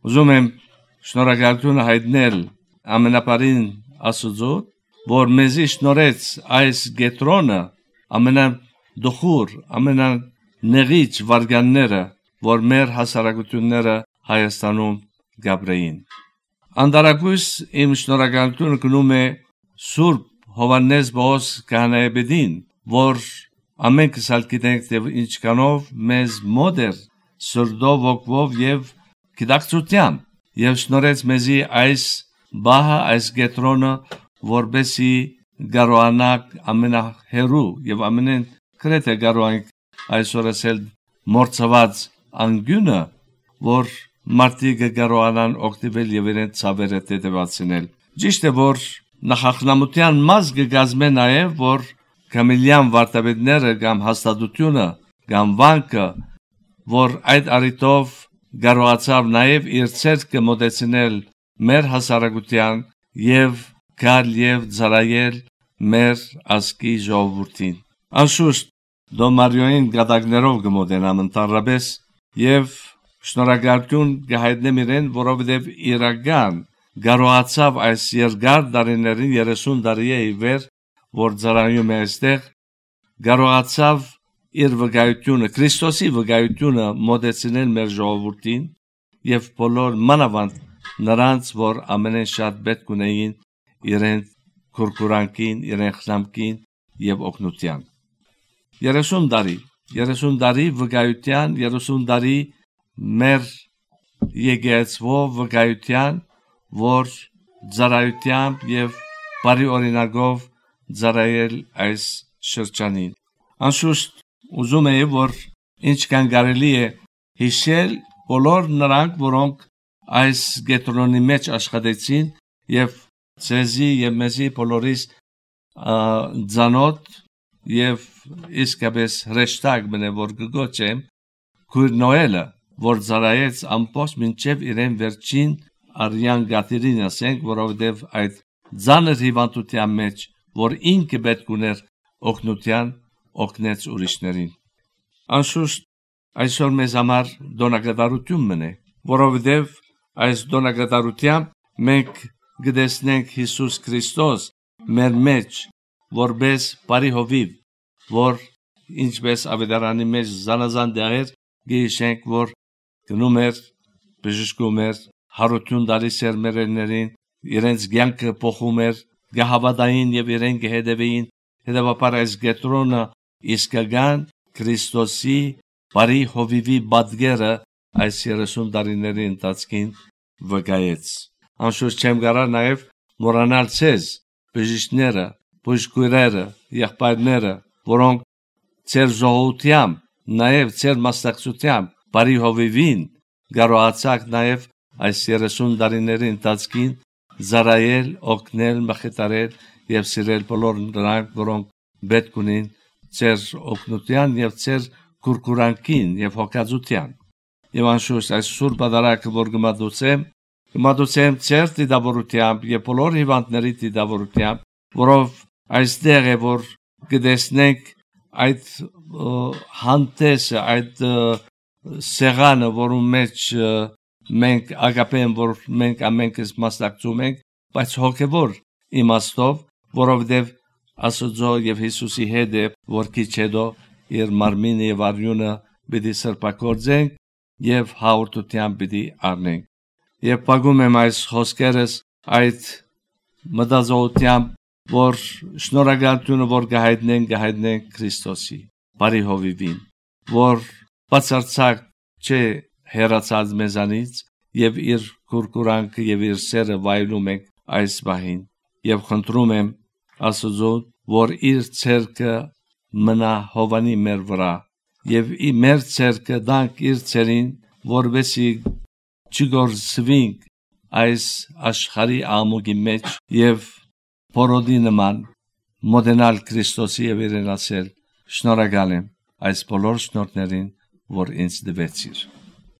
Ուզում եմ շնորհակալություն հայտնել ամենապարին Աստծո, որ մեզի շնորհեց այս գետրոնը ամենադխուր, ամենանեղիչ վարգանները, որ մեր հասարակությունները Հայաստանում գաբրեին։ Անդարակույս իմ շնորհակալությունը գնում է Սուրբ Հովհաննես Պողոս քահանայապետին, որ ամենքս գիտենք եւ ինչքանով մեզ մոտ էր սրտով, ոգով եւ գիտակցությամբ եւ շնորհեց մեզի այս բահը, այս գետրոնը, որբեսի կարողանանք ամենահեռու եւ ամենեն կրեթե կարողանք այսօր ասել մորցված անգյունը, որ մարդիկ կարողանան օգտվել եւ իրենց ցավերը տետևացնել։ Ճիշտ է, որ նախախնամության մաս կգազմե նաեւ, որ կամիլյան վարտաբետները կամ հաստատությունը կամ վանքը, որ այդ առիթով կարողացավ նաեւ իր ցերկը մոտեցնել մեր հասարակության եւ գալ եւ ծառայել մեր ազգի ժողովրդին։ Անշուշտ Դոմարիոյին գադակներով կմոտենամ ընդհանրապես եւ շնորհակալություն կհայտնեմ իրեն, որովհետեւ իրական կարողացավ այս երկար տարիներին 30 տարի է ի վեր, որ ծառայում է այստեղ, կարողացավ իր վկայությունը, Քրիստոսի վկայությունը մոտեցնել մեր ժողովրդին եւ բոլոր մանավանդ նրանց, որ ամենեն շատ պետք ունեին իրեն քուրքուրանքին, իրեն խնամքին եւ օգնության։ 30 տարի վկայության, 30 տարի մեր եկեղեցվով վկայության, որ ծառայությամբ եւ բարի օրինակով ծառայել այս շրջանին։ Անշուշտ ուզում եմ, որ ինչքան կարելի է հիշել բոլոր նրանք, որոնք այս գետրոնի մեջ աշխատեցին եւ ցեզի եւ մեզի բոլորիս ծանոթ եւ իսկապես հրեշտակ մնե որ գոչեմ Քույր Նոելը, որ ծառայեց ամբողջ մինչև իրեն վերջին արյան գաթերին ասենք, որովհետև այդ ծանր հիվանդության մեջ, որ ինքը պետք ուներ օգնության, օգնեց ուրիշներին։ Անշուշտ այսօր մեզ համար դոնակատարություն մնե, որովհետև այս դոնակատարությամբ մենք գտեսնենք Հիսուս Քրիստոս մեր մեջ, որպես բարի հովիվ, որ ինչպես ավետարանի մեջ զանազան դեղեր գիշենք, որ գնում էր, բժշկում էր, հարություն տալիս էր մերերներին, իրենց կյանքը փոխում էր, գահավատային եւ իրեն կհետևեին, հետևաբար այս գետրոնը իսկական Քրիստոսի բարի հովիվի պատկերը այս 30 տարիների ընթացքին վկայեց։ Անշուշտ չեմ կարող նաեւ մոռանալ ցեզ, բժիշկները, բժշկուհիները, եղբայրները, որոնք ծեր ժողովրդությամբ, նաեւ ծեր մասնակցությամբ բարի հովիվին կարողացաք նաեւ այս 30 տարիների ընթացքին ծառայել, օգնել, մխիթարել եւ սիրել բոլոր նրանք, որոնք պետք ունին ծեր օգնության եւ ծեր քուրքուրանքին եւ հոգացության։ Եվ անշուշտ այս սուրբ պատարագը, որ կմատուցեմ ծեր դիդավորությամբ եւ բոլոր հիվանդների դիդավորությամբ, որով այստեղ է, որ կտեսնենք այդ հանդեսը, այդ սեղանը, որում մեջ մենք ագապեն, որ մենք ամենքս մասնակցում ենք, բայց հոգևոր իմաստով, որովհետև Աստծո եւ Հիսուսի հետ է, որ քիչ հետո իր մարմինը եւ արյունը պիտի սրբակոծենք եւ հաղորդությամբ պիտի առնենք։ Եվ փակում եմ այս խոսքերս այդ մտածողությամբ, որ շնորհակալությունը, որ կհայտնենք Քրիստոսի բարի հովիվին, որ բացարձակ չէ հեռացած մեզանից եւ իր քուրքուրանքը եւ իր սերը վայելում ենք այս բահին եւ խնդրում եմ Աստծո, որ իր ցերկը մնա հովանի մեր վրա եւ մեր ցերկը դանք իր ցերին, որովհետեւ չգործվենք այս աշխարհի ամուգի մեջ եւ փորոդի նման մոդենալ Քրիստոսի եւ իրեն ասել շնորհակալ եմ այս բոլոր շնորհներին, որ ինձ տվեցիր։